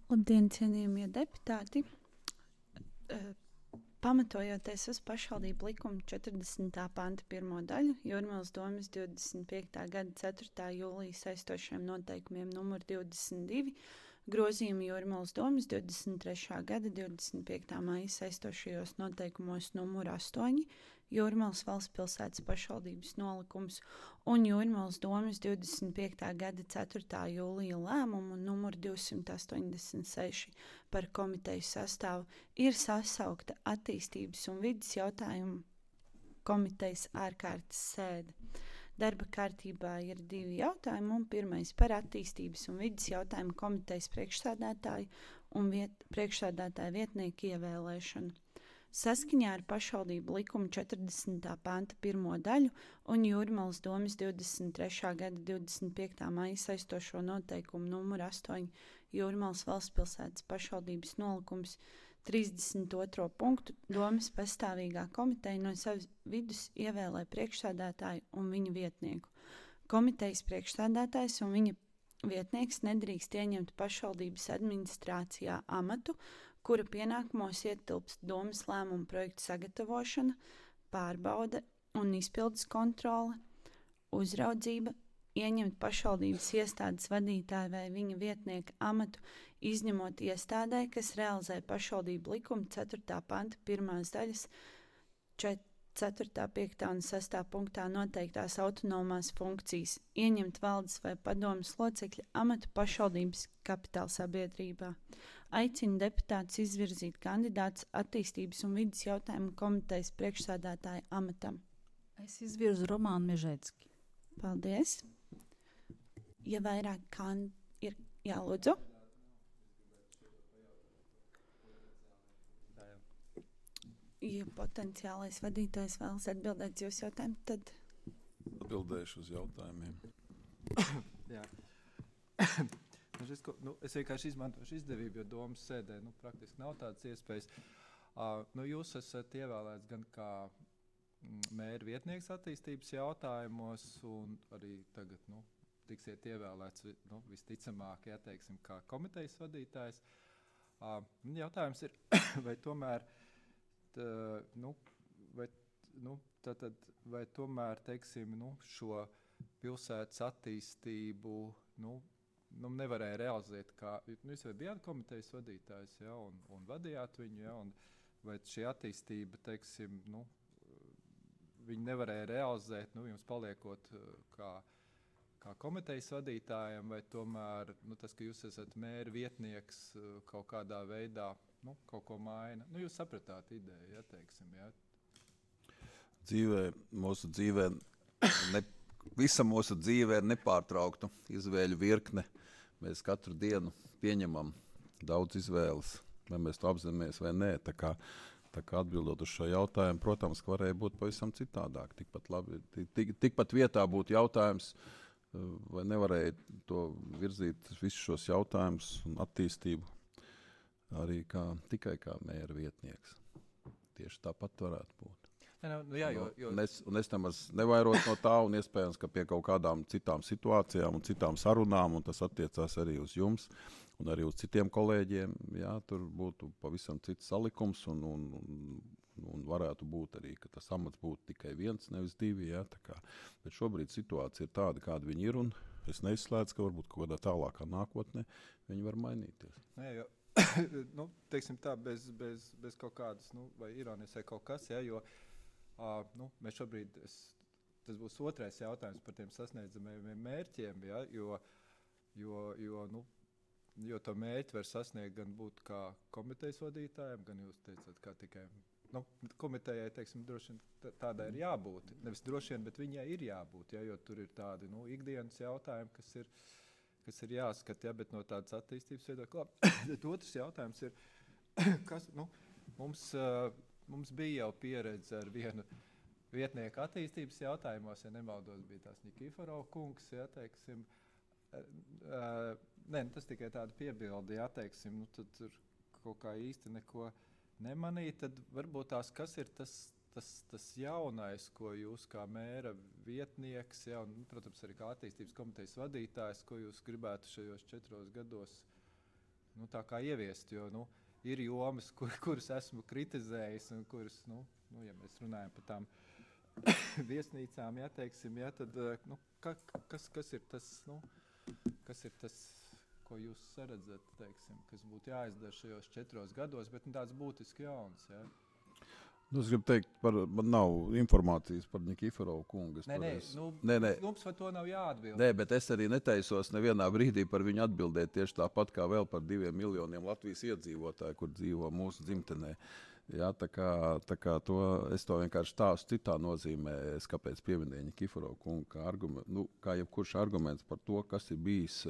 Labdien, cienījamie deputāti! Pamatojoties uz pašvaldību likuma 40. panta 1. daļu, Jūrmalas domes 25. gada 4. jūlija saistošiem noteikumiem numur 22, grozījumi Jūrmalas domes 23. gada 25. maija saistošajos noteikumos numur 8, Jūrmalas valstspilsētas pašvaldības nolikums un Jūrmalas domes 25. gada 4. jūlija lēmumu numur 286 par komiteju sastāvu ir sasaukta attīstības un vides jautājumu komitejas ārkārtas sēde. Darba kārtībā ir 2 jautājumi, un pirmais par attīstības un vides jautājumu komitejas priekšsēdētāju un priekšsēdētāju vietnieku ievēlēšanu. Saskaņā ar pašvaldību likuma 40. panta 1. daļu un Jūrmalas domes 23. gada 25. maija saistošo noteikumu numur 8 Jūrmalas valstspilsētas pašvaldības nolikums 32. punktu domes pastāvīgā komiteja no savas vidus ievēlē priekšsēdētāju un viņa vietnieku. Komitejas priekšsēdētājs un viņa vietnieks nedrīkst ieņemt pašvaldības administrācijā amatu, kura pienākumos ietilpst domes lēmumu projektu sagatavošana, pārbaude un izpildes kontrole, uzraudzība, ieņemt pašvaldības iestādes vadītāju vai viņa vietnieka amatu, izņemot iestādē, kas realizē pašvaldību likuma 4. panta 1. daļas 4., 5. un 6. punktā noteiktās autonomās funkcijas, ieņemt valdes vai padomes locekļa amatu pašvaldības kapitāla sabiedrībā. Aicina deputātus izvirzīt kandidātus attīstības un vides jautājumu komitejas priekšsēdētāja amatam. Es izvirzu Romānu Mežēcki. Paldies! Ja vairāk ir jālūdzu. Ja potenciālais vadītājs vēlas atbildēt jūsu jautājumu, tad... Atbildēšu uz jautājumiem. Jā. Es vienkārši izmantošu izdevību, jo domas sēdē praktiski nav tādas iespējas. Jūs esat ievēlēts gan kā mēra vietnieks attīstības jautājumos, un arī tagad tiksiet ievēlēts visticamāk, teiksim, kā komitejas vadītājs. Jautājums ir, vai tomēr vai tomēr, teiksim, šo pilsētas attīstību nevarēja realizēt, kā jūs jau bijāt komitejas vadītājs, un vadījāt viņu, un vai šī attīstība, teiksim, viņi nevarēja realizēt, jums paliekot kā komitejas vadītājiem, vai tomēr tas, ka jūs esat mēra vietnieks kaut kādā veidā, kaut ko maina. Jūs sapratāt ideju, teiksim, Mūsu dzīvē, visa mūsu dzīvē ir nepārtraukta izvēļu virkne. Mēs katru dienu pieņemam daudz izvēles, vai mēs to apzināmies vai nē. Tā kā atbildot uz šo jautājumu, protams, ka varēja būt pavisam citādāk. Tikpat vietā būtu jautājums, vai nevarēja to virzīt visus šos jautājumus un attīstību arī tikai kā mēra vietnieks. Tieši tāpat varētu būt. Es nemaz nevairot no tā, un iespējams, ka pie kaut kādām citām situācijām un citām sarunām, un tas attiecās arī uz jums un arī uz citiem kolēģiem, tur būtu pavisam cits salikums, un varētu būt arī, ka tas amats būtu tikai 1, nevis 2. Bet šobrīd situācija ir tāda, kāda viņi ir, un es neizslēdzu, ka varbūt kaut kādā tālākā nākotnē viņi var mainīties. Teiksim tā, bez kaut kādas, vai ironijas vai kaut kas, jo mēs šobrīd, tas būs otrais jautājums par tiem sasniedzamajiem mērķiem, jo to mērķi var sasniegt gan būt kā komitejas vadītājiem, gan jūs teicat, kā tikai komitejai, teiksim, droši vien tādai ir jābūt. Nevis droši vien, bet viņai ir jābūt, jo tur ir tādi ikdienas jautājumi, kas ir jāskat, bet no tādas attīstības viedokļa. Otrs jautājums ir, kas, mums bija jau pieredze ar vienu vietnieku attīstības jautājumos, ja nemaldos, bija tās Nikiforova kungs, teiksim. Tas tikai tāda piebilde, teiksim, tad tur kaut kā īsti neko nemanīt, tad varbūt kas ir tas jaunais, ko jūs kā mēra vietnieks, un, protams, arī kā attīstības komitejas vadītājs, ko jūs gribētu šajos 4 gados tā kā ieviest, jo ir jomas, kuras esmu kritizējis un kuras, ja mēs runājam par tām viesnīcām, teiksim, tad kas ir tas, kas ir tas, ko jūs saredzat, teiksim, kas būtu jāizdara šajos 4 gados, bet tāds būtiski jauns, Es gribu teikt, man nav informācijas par Nikiforu kungu. Jums par to nav jāatbild. Nē, bet es arī netaisos nevienā brīdī par viņu atbildēt tieši tāpat kā vēl par 2 miljoniem Latvijas iedzīvotāju, kur dzīvo mūsu dzimtenē. Jā, tā kā es to vienkārši stāstu citā nozīmē, kāpēc pieminēju Nikiforu kungu, kā jebkurš arguments par to, kas ir bijis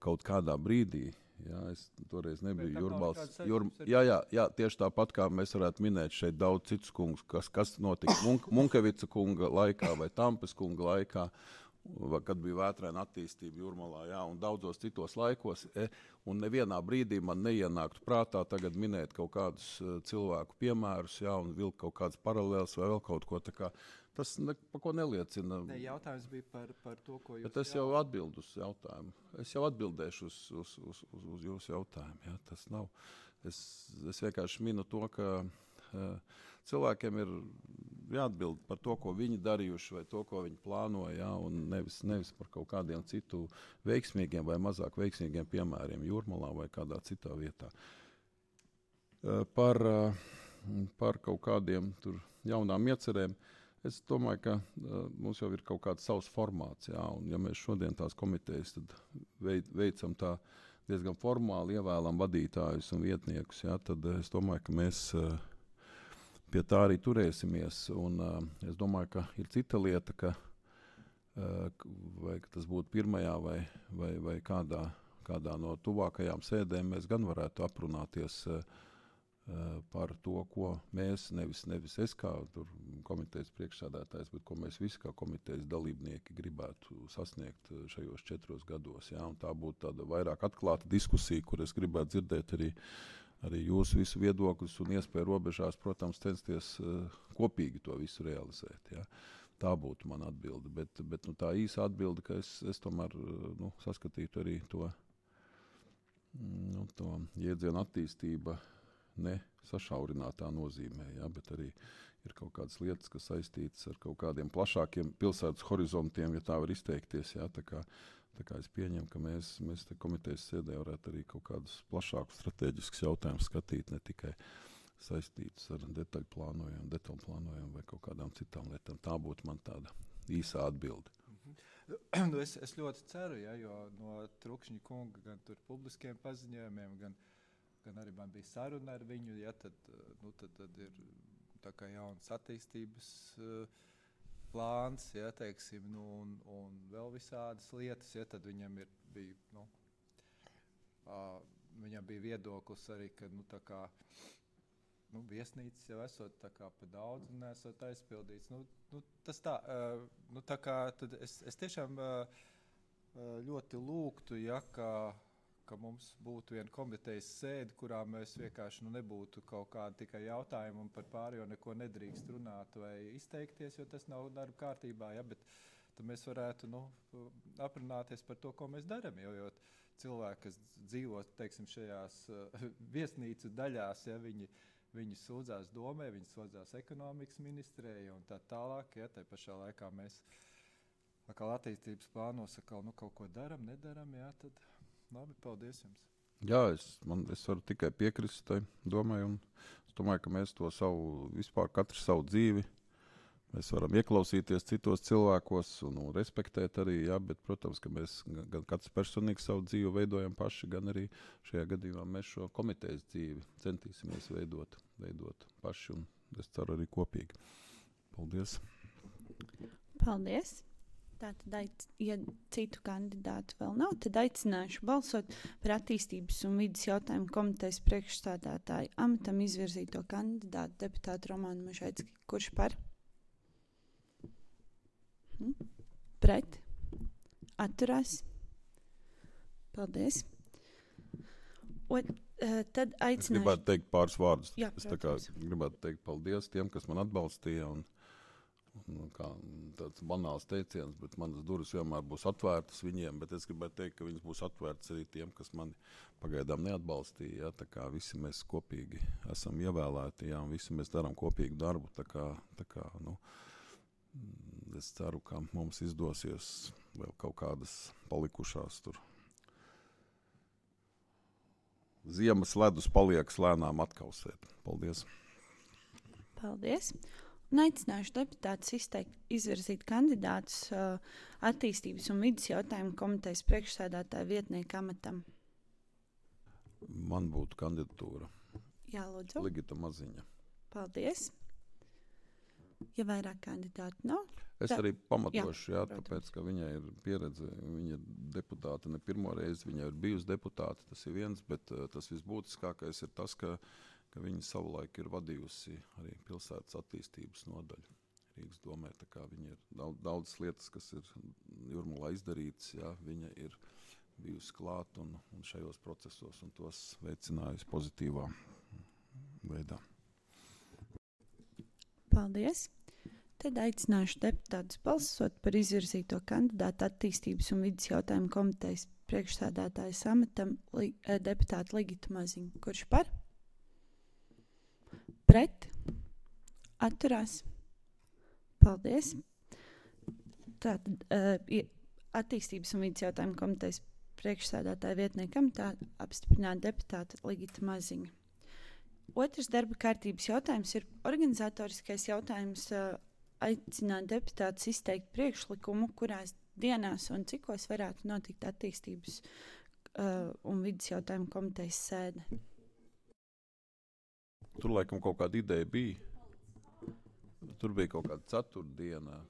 kaut kādā brīdī. Jā, es toreiz nebiju Jūrmals. Jā, tieši tāpat kā mēs varētu minēt šeit daudz citus kungus, kas notika Munkevica kunga laikā vai Tampes kunga laikā, kad bija vētraina attīstība Jūrmalā, un daudzos citos laikos. Un nevienā brīdī man neienāktu prātā tagad minēt kaut kādus cilvēku piemērus, un vilkt kaut kādas paralēlas vai vēl kaut ko tā kā. Tas par ko neliecina. Jautājums bija par to, ko jūs... Bet es jau atbildu uz jautājumu. Es jau atbildēšu uz jūsu jautājumu. Jā, tas nav. Es vienkārši minu to, ka cilvēkiem ir jāatbild par to, ko viņi darījuši vai to, ko viņi plānoja, un nevis par kaut kādiem citu veiksmīgiem vai mazāk veiksmīgiem piemēriem Jūrmalā vai kādā citā vietā. Par kaut kādiem tur jaunām iecerēm. Es domāju, ka mums jau ir kaut kāds savs formāts, un ja mēs šodien tās komitejas tad veicam tā diezgan formāli, ievēlam vadītājus un vietniekus, tad es domāju, ka mēs pie tā arī turēsimies. Un es domāju, ka ir cita lieta, vai tas būtu pirmajā vai kādā no tuvākajām sēdēm, mēs gan varētu aprunāties par to, ko mēs, nevis es kā komitejas priekšsēdētājs, bet ko mēs visi kā komitejas dalībnieki gribētu sasniegt šajos 4 gados. Un tā būtu tāda vairāk atklāta diskusija, kur es gribētu dzirdēt arī jūsu visu viedokļus un iespēju robežās, protams, censties kopīgi to visu realizēt. Tā būtu mana atbilde. Bet tā īsa atbilde, ka es tomēr saskatītu arī to jēdzienu attīstība ne sašaurinātā nozīmē, bet arī ir kaut kādas lietas, kas saistītas ar kaut kādiem plašākiem pilsētas horizontiem, ja tā var izteikties. Tā kā es pieņemu, ka mēs te komitejas sēdē varētu arī kaut kādus plašākus strateģiskus jautājumus skatīt, ne tikai saistītus ar detaļu plānojumu vai kaut kādām citām lietām. Tā būtu man tāda īsā atbilde. Es ļoti ceru, jo no Trukšņa kunga gan tur publiskiem paziņojumiem, gan arī man bija saruna ar viņu, tad ir tā kā jauns attīstības plāns, teiksim, un vēl visādas lietas, tad viņam bija viedoklis arī, ka tā kā viesnīcas jau esot tā kā pa daudz un esot aizpildīts. Tas tā, tā kā tad es tiešām ļoti lūgtu, ka mums būtu viena komitejas sēde, kurā mēs vienkārši nebūtu kaut kādi tikai jautājumi un par pārējo neko nedrīkst runāt vai izteikties, jo tas nav darba kārtībā, bet tad mēs varētu aprunāties par to, ko mēs darām, jo cilvēki, kas dzīvo, teiksim, šajās viesnīcu daļās, viņi sūdzās domē, viņi sūdzās ekonomikas ministrē un tā tālāk, tai pašā laikā mēs attīstības plānos kaut ko daram, nedaram, tad labi, paldies jums. Jā, es varu tikai piekrist tai domai, un es domāju, ka mēs to vispār katru savu dzīvi, mēs varam ieklausīties citos cilvēkos un respektēt arī, bet, protams, ka mēs gan katrs personīgi savu dzīvi veidojam paši, gan arī šajā gadījumā mēs šo komitejas dzīvi centīsimies veidot paši, un es ceru arī kopīgi. Paldies. Paldies. Tātad, ja citu kandidātu vēl nav, tad aicināšu balsot par attīstības un vides jautājumu komitejas priekšstādātāju amatam izvirzīto kandidātu deputātu Romānu Mežēcki. Kurš par? Pret? Atturās? Paldies. Tad aicināšu... Es gribētu teikt pāris vārdus. Jā, es gribētu teikt paldies tiem, kas man atbalstīja, kā tāds banāls teiciens, bet manas durvis vienmēr būs atvērtas viņiem, bet es gribētu teikt, ka viņas būs atvērtas arī tiem, kas mani pagaidām neatbalstīja. Ja? Tā kā visi mēs kopīgi esam ievēlēti, ja? Un visi mēs darām kopīgu darbu. Tā kā, es ceru, ka mums izdosies vēl kaut kādas palikušās tur. Ziemas ledus paliekas lēnām atkausēt. Paldies! Paldies! Un aicināšu deputātus izvirzīt kandidātus attīstības un vidas jautājumu komitejas priekšsēdētāja vietnieka amatam. Man būtu kandidatūra. Jā, lūdzu. Ligita Maziņa. Paldies. Ja vairāk kandidātu nav? Es arī pamatošu, jā, protams. tāpēc, ka viņai ir pieredze, viņa ir deputāte ne pirmo reizi, viņa ir bijusi deputāte, tas ir viens, bet tas visbūtiskākais ir tas, ka viņa savulaik ir vadījusi arī pilsētas attīstības nodaļu Rīgas domē, tā kā viņa ir daudzas lietas, kas ir Jūrmalā izdarītas, jā, viņa ir bijusi klāt un šajos procesos un tos veicinājusi pozitīvā veidā. Paldies! Tad aicināšu deputātus balsot par izvirzīto kandidātu attīstības un vidas jautājumu komitejas priekšsēdētājas amatam deputātu Ligitu Maziņu. Kurš par? Pret? Atturās? Paldies! Tātad attīstības un vidas jautājumu komitejas priekšsēdētāja vietniekam tā apstiprināt deputāta Ligita Maziņa. Otrs darba kārtības jautājums ir organizatoriskais jautājums aicināt deputātus izteikt priekšlikumu, kurās dienās un cikos varētu notikt attīstības un vidas jautājumu komitejas sēde. Tur laikam kaut kāda ideja bija. Tur bija kaut kāda ceturtdiena.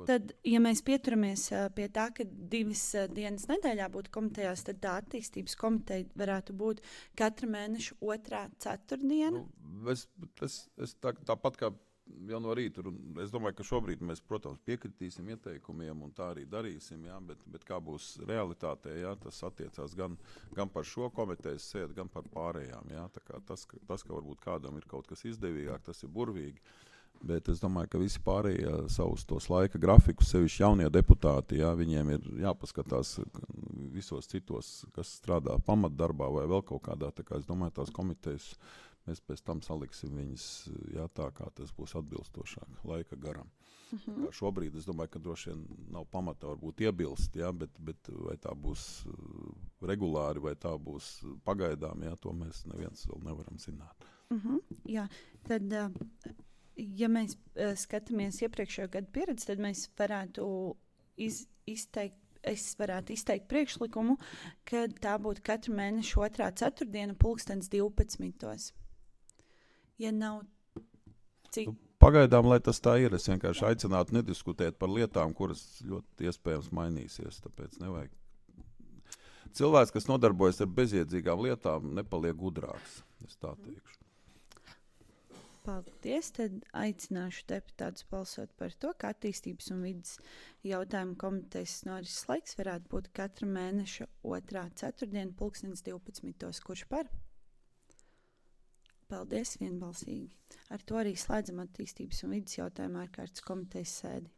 Tad, ja mēs pieturamies pie tā, ka 2 dienas nedēļā būtu komitejās, tad tā attīstības komiteja varētu būt katra mēneša 2. ceturtdiena. Es tāpat kā jau no rīta, es domāju, ka šobrīd mēs, protams, piekritīsim ieteikumiem un tā arī darīsim, jā, bet kā būs realitātē, jā, tas attiecās gan par šo komitejas sēdi, gan par pārējām. Jā, tā kā tas, ka varbūt kādam ir kaut kas izdevīgāk, tas ir burvīgi. Bet es domāju, ka visi pārējie savus tos laika grafikus, sevišķi jaunie deputāti, jā, viņiem ir jāpaskatās visos citos, kas strādā pamatdarbā vai vēl kaut kādā. Tā kā es domāju, tās komitejas mēs pēc tam saliksim viņas, jā, tā kā tas būs atbilstošāk laika garam. Kā šobrīd es domāju, ka droši vien nav pamata varbūt iebilst, jā, bet vai tā būs regulāri, vai tā būs pagaidām, jā, to mēs neviens vēl nevaram zināt. Jā, tad... Ja mēs skatāmies iepriekšējo gadu pieredzi, tad mēs varētu izteikt priekšlikumu, ka tā būtu katra mēneša 2. ceturtdiena 12:00. Ja nav cik... Pagaidām, lai tas tā ir, es vienkārši aicinātu nediskutēt par lietām, kuras ļoti iespējams mainīsies, tāpēc nevajag. Cilvēks, kas nodarbojas ar bezjēdzīgām lietām, nepaliek gudrāks, es tā teikšu. Paldies, tad aicināšu deputātus balsot par to, ka attīstības un vidas jautājumu komitejas norises laiks varētu būt katra mēneša 2. ceturtdiena 12:00. Kurš par? Paldies, vienbalsīgi. Ar to arī slēdzam attīstības un vidas jautājumu ārkārtas komitejas sēdi.